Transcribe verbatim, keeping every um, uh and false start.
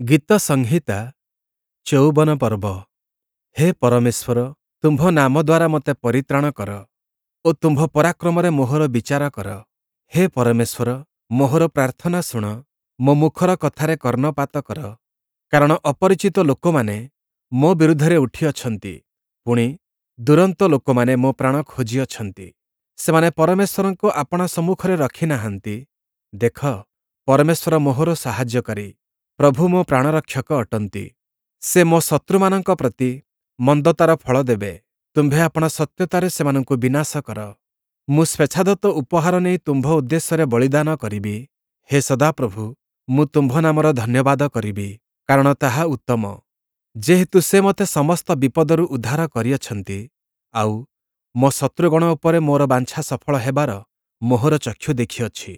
ଗୀତ ସଂହିତା ଚଉବନ ପର୍ବ। ହେ ପରମେଶ୍ୱର, ତୁମ୍ଭ ନାମ ଦ୍ୱାରା ମୋତେ ପରିତ୍ରାଣ କର ଓ ତୁମ୍ଭ ପରାକ୍ରମରେ ମୋହର ବିଚାର କର। ହେ ପରମେଶ୍ୱର, ମୋହର ପ୍ରାର୍ଥନା ଶୁଣ, ମୋ ମୁଖର କଥାରେ କର୍ଣ୍ଣପାତ କର। କାରଣ ଅପରିଚିତ ଲୋକମାନେ ମୋ ବିରୁଦ୍ଧରେ ଉଠିଅଛନ୍ତି, ପୁଣି, ଦୁରନ୍ତ ଲୋକମାନେ ମୋ ପ୍ରାଣ ଖୋଜିଅଛନ୍ତି। ସେମାନେ ପରମେଶ୍ୱରଙ୍କୁ ଆପଣା ସମ୍ମୁଖରେ ରଖି ନାହାନ୍ତି। ଦେଖ, ପରମେଶ୍ୱର ମୋହର ସାହାଯ୍ୟକାରୀ, ପ୍ରଭୁ ମୋ ପ୍ରାଣରକ୍ଷକ ଅଟନ୍ତି। ସେ ମୋ ଶତ୍ରୁମାନଙ୍କ ପ୍ରତି ମନ୍ଦତାର ଫଳ ଦେବେ, ତୁମ୍ଭେ ଆପଣା ସତ୍ୟତାରେ ସେମାନଙ୍କୁ ବିନାଶ କର। ମୁଁ ସ୍ୱେଚ୍ଛାଦତ୍ତ ଉପହାର ନେଇ ତୁମ୍ଭ ଉଦ୍ଦେଶ୍ୟରେ ବଳିଦାନ କରିବି। ହେ ସଦାପ୍ରଭୁ, ମୁଁ ତୁମ୍ଭ ନାମର ଧନ୍ୟବାଦ କରିବି, କାରଣ ତାହା ଉତ୍ତମ। ଯେହେତୁ ସେ ମୋତେ ସମସ୍ତ ବିପଦରୁ ଉଦ୍ଧାର କରିଅଛନ୍ତି, ଆଉ, ମୋ ଶତ୍ରୁଗଣ ଉପରେ ମୋର ବାଞ୍ଛା ସଫଳ ହେବାର ମୋହର ଚକ୍ଷୁ ଦେଖିଅଛି।